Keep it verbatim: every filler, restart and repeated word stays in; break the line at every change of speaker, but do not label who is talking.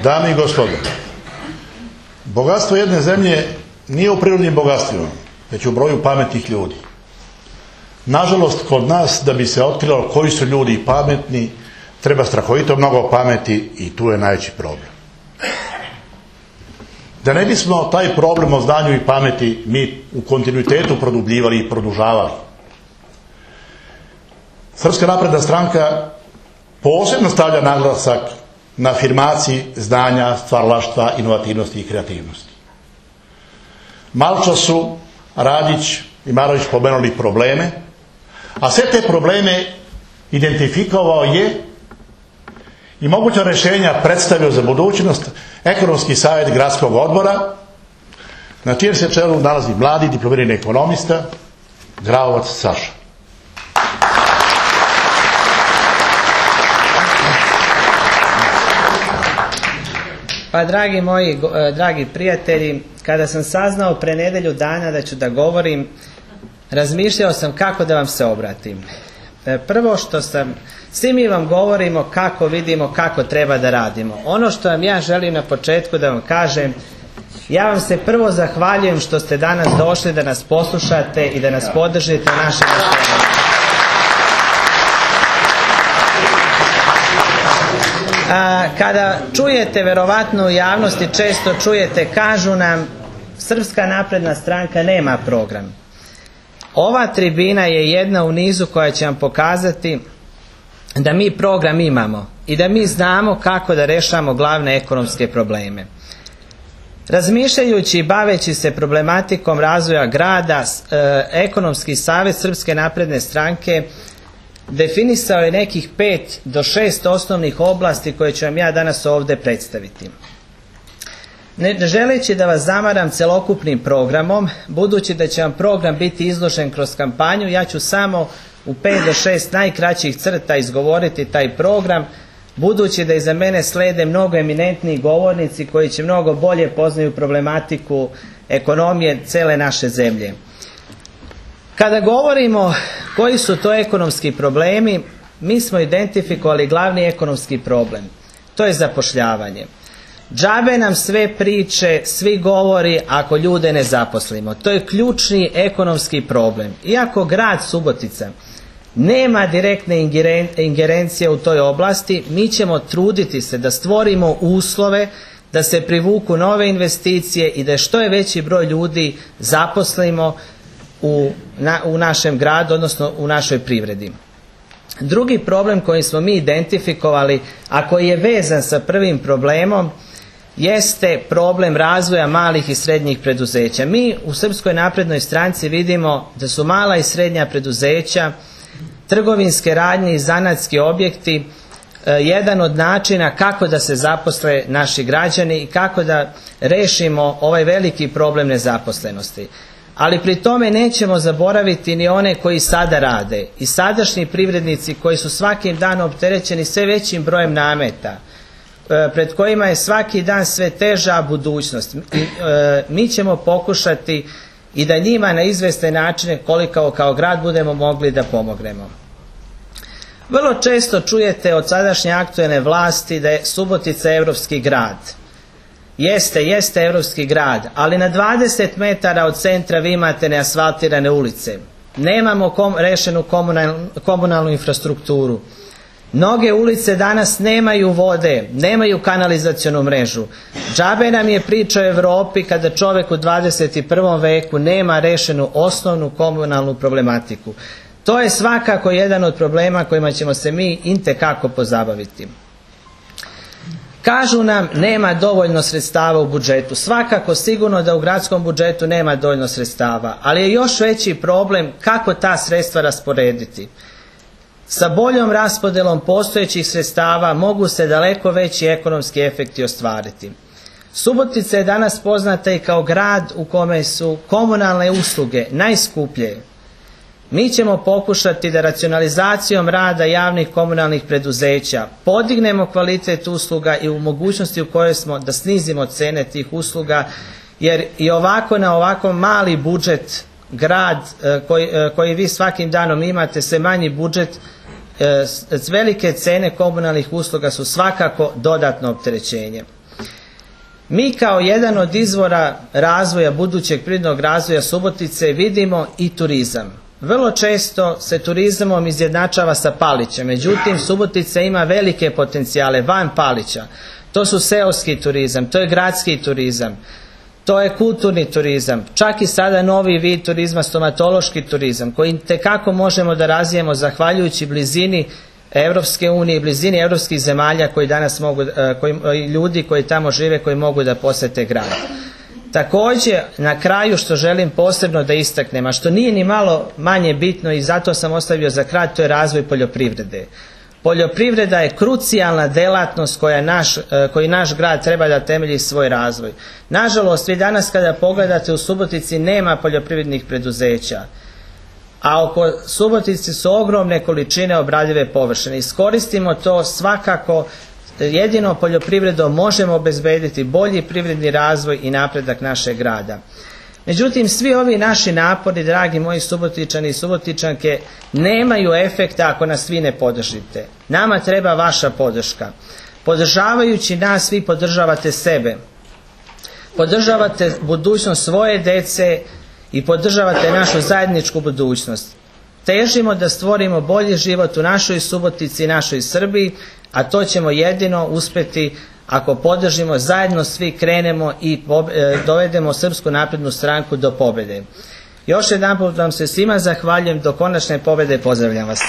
Dame i gospodo, bogatstvo jedne zemlje nije u prirodnim bogatstvima, već u broju pametnih ljudi. Nažalost, kod nas, da bi se otkrilo koji su ljudi pametni, treba strahovito mnogo pameti i tu je najveći problem. Da ne bismo taj problem o znanju i pameti mi u kontinuitetu produbljivali i produžavali, Srpska napredna stranka posebno stavlja naglasak na afirmaciji znanja, stvaralaštva, inovativnosti i kreativnosti. Maločas su Radić i Marović pomenuli probleme, a sve te probleme identifikovao je i moguća rješenja predstavio za budućnost Ekonomski savjet gradskog odbora, na čijem se čelu nalazi mladi diplomirani ekonomista Graovac Saša.
Pa dragi moji, dragi prijatelji, kada sam saznao pre nedelju dana da ću da govorim, razmišljao sam kako da vam se obratim. Prvo što sam, svi mi vam govorimo kako vidimo, kako treba da radimo. Ono što vam ja želim na početku da vam kažem, ja vam se prvo zahvaljujem što ste danas došli da nas poslušate i da nas podržite u našem nastojanju. A, kada čujete, verovatno u javnosti često čujete, kažu nam Srpska napredna stranka nema program. Ova tribina je jedna u nizu koja će vam pokazati da mi program imamo i da mi znamo kako da rešamo glavne ekonomske probleme. Razmišljajući i baveći se problematikom razvoja grada, e, Ekonomski savjet Srpske napredne stranke definisao je nekih pet do šest osnovnih oblasti koje ću vam ja danas ovdje predstaviti. Ne želeći da vas zamaram celokupnim programom, budući da će vam program biti izložen kroz kampanju, ja ću samo u pet do šest najkraćih crta izgovoriti taj program, budući da iza mene slede mnogo eminentniji govornici koji će mnogo bolje poznaju problematiku ekonomije cele naše zemlje. Kada govorimo koji su to ekonomski problemi, mi smo identifikovali glavni ekonomski problem. To je zapošljavanje. Džabe nam sve priče, svi govori ako ljude ne zaposlimo. To je ključni ekonomski problem. Iako grad Subotica nema direktne ingerencije u toj oblasti, mi ćemo truditi se da stvorimo uslove da se privuku nove investicije i da što je veći broj ljudi zaposlimo u, na, u našem gradu, odnosno u našoj privredi. Drugi problem koji smo mi identifikovali, a koji je vezan sa prvim problemom, jeste problem razvoja malih i srednjih preduzeća. Mi u Srpskoj naprednoj stranci vidimo da su mala i srednja preduzeća, trgovinske radnje i zanatski objekti e, jedan od načina kako da se zaposle naši građani i kako da rešimo ovaj veliki problem nezaposlenosti. Ali pri tome nećemo zaboraviti ni one koji sada rade i sadašnji privrednici koji su svakim danom opterećeni sve većim brojem nameta, pred kojima je svaki dan sve teža budućnost. Mi ćemo pokušati i da njima na izvesne načine koliko kao grad budemo mogli da pomognemo. Vrlo često čujete od sadašnje aktuelne vlasti da je Subotica evropski grad. Jeste, jeste evropski grad, ali na dvadeset metara od centra vi imate neasfaltirane ulice. Nemamo kom, rešenu komunalnu, komunalnu infrastrukturu. Mnoge ulice danas nemaju vode, nemaju kanalizacionu mrežu. Džabe nam je priča o Evropi kada čovek u dvadeset prvom veku nema rešenu osnovnu komunalnu problematiku. To je svakako jedan od problema kojima ćemo se mi intekako pozabaviti. Kažu nam nema dovoljno sredstava u budžetu. Svakako sigurno da u gradskom budžetu nema dovoljno sredstava, ali je još veći problem kako ta sredstva rasporediti. Sa boljom raspodelom postojećih sredstava mogu se daleko veći ekonomski efekti ostvariti. Subotica je danas poznata i kao grad u kome su komunalne usluge najskuplje. Mi ćemo pokušati da racionalizacijom rada javnih komunalnih preduzeća podignemo kvalitet usluga i u mogućnosti u kojoj smo da snizimo cene tih usluga, jer i ovako na ovako mali budžet grad koji, koji vi svakim danom imate, sve manji budžet, velike cene komunalnih usluga su svakako dodatno opterećenje. Mi kao jedan od izvora razvoja, budućeg privrednog razvoja Subotice vidimo i turizam. Vrlo često se turizmom izjednačava sa Palićem, međutim Subotica ima velike potencijale van Palića. To su seoski turizam, to je gradski turizam, to je kulturni turizam, čak i sada novi vid turizma, stomatološki turizam, koji tekako možemo da razvijemo zahvaljujući blizini Evropske unije, blizini evropskih zemalja koji danas mogu, koji, ljudi koji tamo žive, koji mogu da posete grad. Također, na kraju što želim posebno da istaknem, a što nije ni malo manje bitno i zato sam ostavio za kraj, to je razvoj poljoprivrede. Poljoprivreda je krucijalna delatnost koja naš, koji naš grad treba da temelji svoj razvoj. Nažalost, vi danas kada pogledate u Subotici nema poljoprivrednih preduzeća, a oko Subotice su ogromne količine obradive površine. Iskoristimo to svakako, jedino poljoprivredom možemo obezbediti bolji privredni razvoj i napredak našeg grada. Međutim, svi ovi naši napori, dragi moji Subotičani i Subotičanke, nemaju efekta ako nas vi ne podržite. Nama treba vaša podrška. Podržavajući nas, vi podržavate sebe. Podržavate budućnost svoje dece i podržavate našu zajedničku budućnost. Težimo da stvorimo bolji život u našoj Subotici i našoj Srbiji, a to ćemo jedino uspjeti ako podržimo, zajedno svi krenemo i dovedemo Srpsku naprednu stranku do pobjede. Još jedanput vam se svima zahvaljujem, do konačne pobjede pozdravljam vas.